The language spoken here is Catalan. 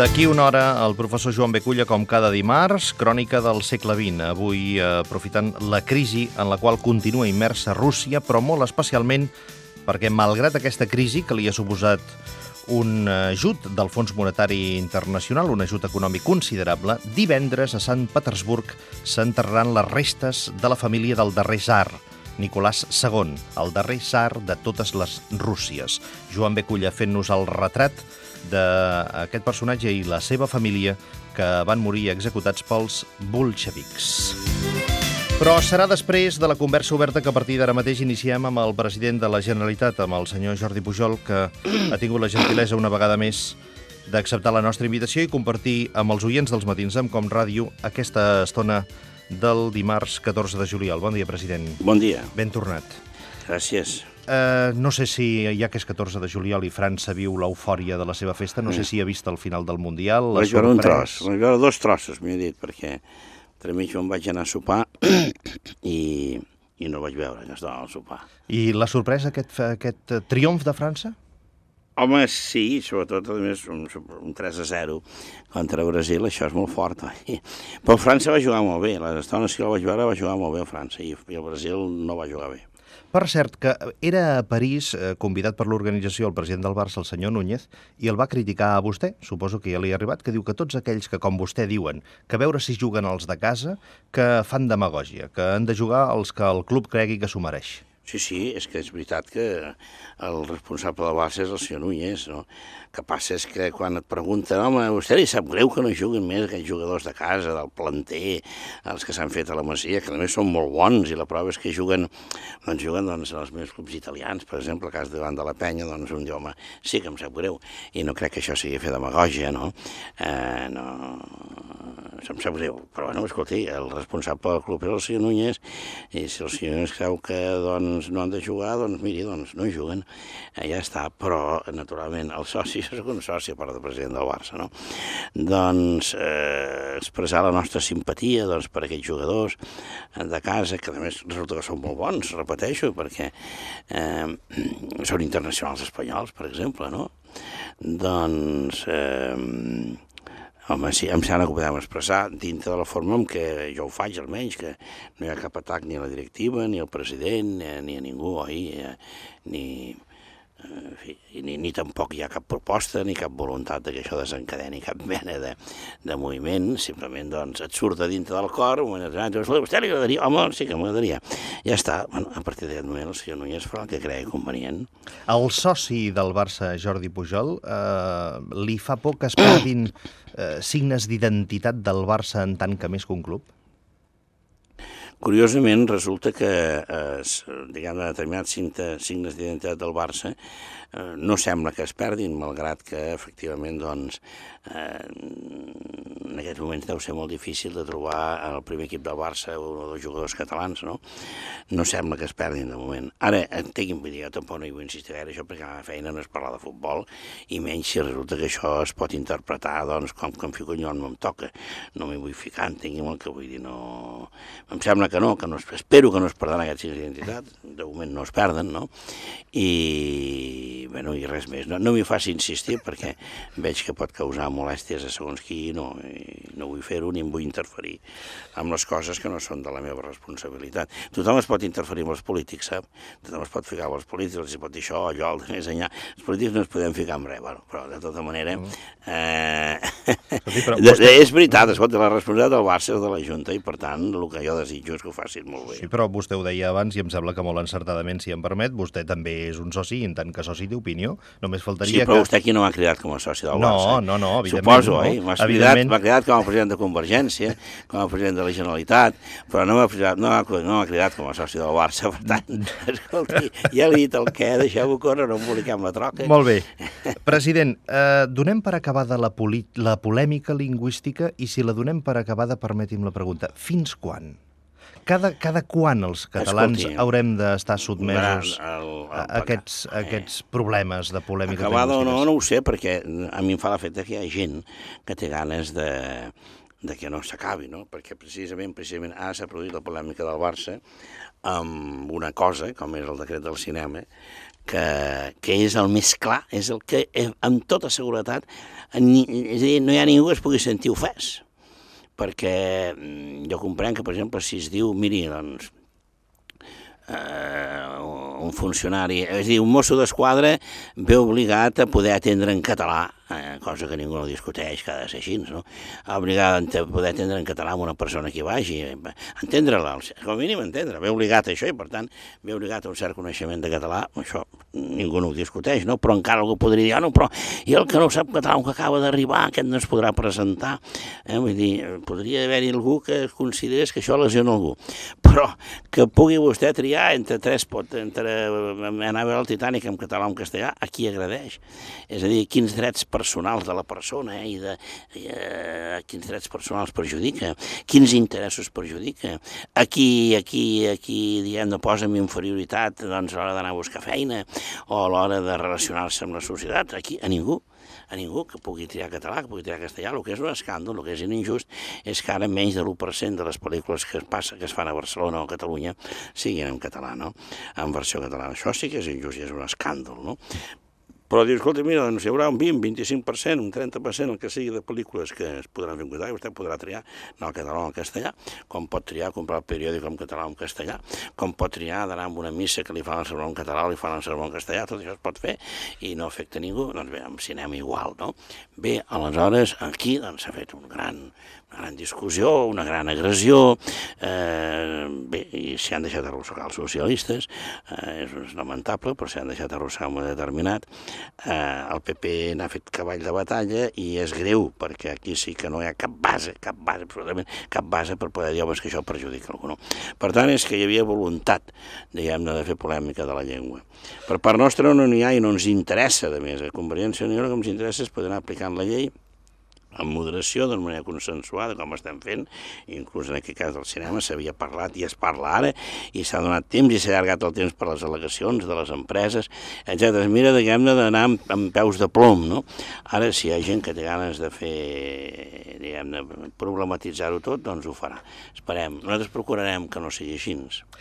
D'aquí una hora, el professor Joan Beculla, com cada dimarts, crònica del segle XX. Avui aprofitant la crisi en la qual continua immersa Rússia, però molt especialment perquè, malgrat aquesta crisi que li ha suposat un ajut del Fons Monetari Internacional, un ajut econòmic considerable, divendres a Sant Petersburg s'enterraran les restes de la família del darrer tsar, Nicolás II, el darrer tsar de totes les Rússies. Joan Beculla fent-nos el retrat d'aquest personatge i la seva família que van morir executats pels bolxevics. Però serà després de la conversa oberta que a partir d'ara mateix iniciem amb el president de la Generalitat, amb el senyor Jordi Pujol, que ha tingut la gentilesa una vegada més d'acceptar la nostra invitació i compartir amb els oients dels matins amb Com Ràdio aquesta estona del dimarts 14 de juliol. Bon dia, president. Bon dia. Ben tornat. Gràcies. No sé si, ja que és 14 de juliol i França viu l'eufòria de la seva festa, no sé si ha vist el final del Mundial. Vaig veure un tros, vaig veure 2 trossos, m'he dit, perquè entremig em vaig anar a sopar i no vaig veure que estava al sopar. I la sorpresa, aquest triomf de França? Home, sí, sobretot, a més, un 3-0 contra Brasil, això és molt fort. Però França va jugar molt bé, les estones que la vaig veure va jugar molt bé a França i el Brasil no va jugar bé. Per cert, que era a París, convidat per l'organització el president del Barça, el senyor Núñez, i el va criticar a vostè, suposo que ja li ha arribat, que diu que tots aquells que, com vostè diuen, que a veure si juguen els de casa, que fan demagògia, que han de jugar els que el club cregui que s'ho mereix. Sí, és que és veritat que el responsable del Barça és el senyor Núñez, no? El que passa és que quan et pregunten, home, a vostè li sap greu que no juguin més aquells jugadors de casa, del planter, els que s'han fet a la Masia, que també són molt bons, i la prova és que juguen els meus clubs italians, per exemple, el cas davant de la Penya, doncs un diu, home, sí que em sap greu, i no crec que això sigui fer demagògia, no? No, em sap greu, però bueno, escolti, el responsable del club és el senyor Núñez, i si el senyor Núñez creu que, no han de jugar, doncs miri, no hi juguen, ja està, però naturalment el soci, jo soc un soci a part del president del Barça, no? Doncs expressar la nostra simpatia per aquests jugadors de casa, que a més resulta que són molt bons, repeteixo, perquè són internacionals espanyols, per exemple, no? Doncs home, sí, em sembla que ho podem expressar dintre de la forma en què jo ho faig, almenys, que no hi ha cap atac ni a la directiva, ni al president, ni a ningú, ni tampoc hi ha cap proposta, ni cap voluntat que això desencadeni cap mena de moviment, simplement, doncs, et surt de dintre del cor, un moment determinat, a vostè li agradaria? Home, sí que m'agradaria. Ja està, bueno, a partir d'aquest moment el senyor Núñez farà el que cregui convenient. El soci del Barça, Jordi Pujol, li fa por que es perdin signes d'identitat del Barça en tant que més que un club? Curiosament, resulta que determinats signes d'identitat del Barça no sembla que es perdin, malgrat que, efectivament, doncs, en aquests moments deu ser molt difícil de trobar en el primer equip del Barça un o 2 jugadors catalans, no? No sembla que es perdin, de moment. Ara, entenguin, vull dir, jo tampoc no hi vull insistir gaire això, perquè la meva feina no és parlar de futbol, i menys si resulta que això es pot interpretar, doncs, com que em fico jo no em toca. No m'hi vull ficar, entenguin el que vull dir, no... Em sembla que no, espero que no es perden aquests signes d'identitat, de moment no es perden, no? I, bueno, i res més. No m'hi faci insistir perquè veig que pot causar molèsties a segons qui, no vull fer-ho ni em vull interferir amb les coses que no són de la meva responsabilitat. Tothom es pot interferir amb els polítics, sap? Tothom es pot ficar amb els polítics, els pot dir això, allò, el de més enllà. Els polítics no es podem ficar amb res, però de tota manera... És veritat, escolta, la responsabilitat del Barça és de la Junta i, per tant, el que jo desitjo és que ho facin molt bé. Sí, però vostè ho deia abans i em sembla que molt encertadament, si em permet, vostè també és un soci, en tant que soci d'opinió, només faltaria que... Sí, però vostè aquí no m'ha cridat com a soci del Barça. No, evidentment. Suposo, m'ha cridat com a president de Convergència, com a president de la Generalitat, però no m'ha cridat com a soci del Barça, per tant, escolti, ja li he dit el què, deixeu-ho córrer, no emboliquem la troca. Molt bé. President, donem per acabada la polèmica lingüística i si la donem per acabada, permeti'm la pregunta, fins quan? Cada quan els catalans haurem d'estar sotmesos a aquests problemes de polèmica lingüística? Acabada o no ho sé, perquè a mi em fa l'efecte que hi ha gent que té ganes de que no s'acabi, no? Perquè precisament ara s'ha produït la polèmica del Barça amb una cosa, com és el decret del cinema, que és el més clar, és el que, amb tota seguretat, és a dir, no hi ha ningú que es pugui sentir ofès, perquè jo comprenc que, per exemple, si es diu, miri, doncs, un funcionari, és a dir, un mosso d'esquadra ve obligat a poder atendre en català, cosa que ningú no discuteix, que ha de ser així, no? Obligat a poder atendre en català amb una persona que hi vagi, entendre-la, com a mínim entendre, ve obligat a això i per tant ve obligat a un cert coneixement de català, això ningú no ho discuteix, no? Però encara algú podria dir, no, però i el que no sap català, que acaba d'arribar, aquest no es podrà presentar, vull dir, podria haver-hi algú que considerés que això lesiona algú, però que pugui vostè triar entre anar a veure el Titanic en català o en castellà, a qui agradeix, és a dir, quins drets personals de la persona i quins drets personals perjudica, quins interessos perjudica, a qui diem, no posa en inferioritat doncs, a l'hora d'anar a buscar feina o a l'hora de relacionar-se amb la societat, a ningú que pugui triar català, que pugui triar castellà. El que és un escàndol, el que és injust, és que ara menys de l'1% de les pel·lícules que es fan a Barcelona o a Catalunya siguin en català, no? En versió catalana. Això sí que és injust i és un escàndol, no? Però dius, escolta, mira, doncs hi haurà un 20, 25%, un 30%, el que sigui de pel·lícules que es podran fer en català, i vostè podrà triar en el català o en castellà, com pot triar comprar el periòdic en català o en castellà, com pot triar d'anar a una missa que li fan el sermó en català o li fan el sermó en castellà, tot això es pot fer i no afecta ningú. Doncs bé, amb cinema igual, no? Bé, aleshores, aquí doncs, s'ha fet una gran discussió, una gran agressió, bé, i s'hi han deixat arrossegar els socialistes, és lamentable, però s'hi han deixat arrossegar un moment determinat. El PP n'ha fet cavall de batalla i és greu, perquè aquí sí que no hi ha cap base, absolutament cap base per poder dir, home, que això perjudica algú, no? Per tant, és que hi havia voluntat, diguem-ne, de fer polèmica de la llengua. Per part nostra no n'hi ha i no ens interessa, a més, a Convergència i Unió el que ens interessa és poder anar aplicant la llei amb moderació, d'una manera consensuada, com estem fent, inclús en aquest cas del cinema s'havia parlat i es parla ara, i s'ha donat temps i s'ha allargat el temps per les al·legacions de les empreses, etc. Mira, diguem-ne, d'anar amb peus de plom, no? Ara, si hi ha gent que té ganes de fer, diguem-ne, problematitzar-ho tot, doncs ho farà. Esperem. Nosaltres procurarem que no sigui així.